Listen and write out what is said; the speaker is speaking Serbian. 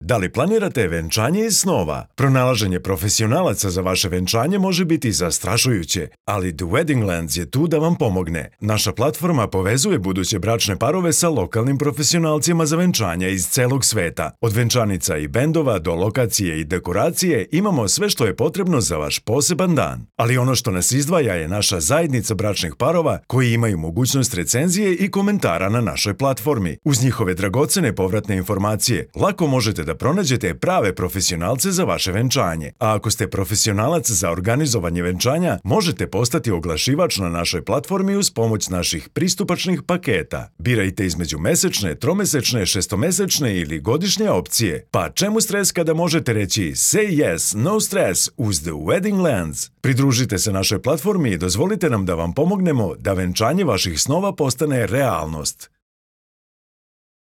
Da li planirate venčanje iz snova? Pronalaženje profesionalaca za vaše venčanje može biti zastrašujuće, ali The Weddinglands je tu da vam pomogne. Naša platforma povezuje buduće bračne parove sa lokalnim profesionalcima za venčanja iz celog sveta. Od venčanica i bendova do lokacije i dekoracije imamo sve što je potrebno za vaš poseban dan. Ali ono što nas izdvaja je naša zajednica bračnih parova koji imaju mogućnost recenzije i komentara na našoj platformi. Uz njihove dragocene povratne informacije, lako možete da pronađete prave profesionalce za vaše venčanje. A ako ste profesionalac za organizovanje venčanja, možete postati oglašivač na našoj platformi uz pomoć naših pristupačnih paketa. Birajte između mesečne, tromesečne, šestomesečne ili godišnje opcije. Pa čemu stres kada možete reći say yes, no stress uz The Weddinglands? Pridružite se našoj platformi i dozvolite nam da vam pomognemo da venčanje vaših snova postane realnost.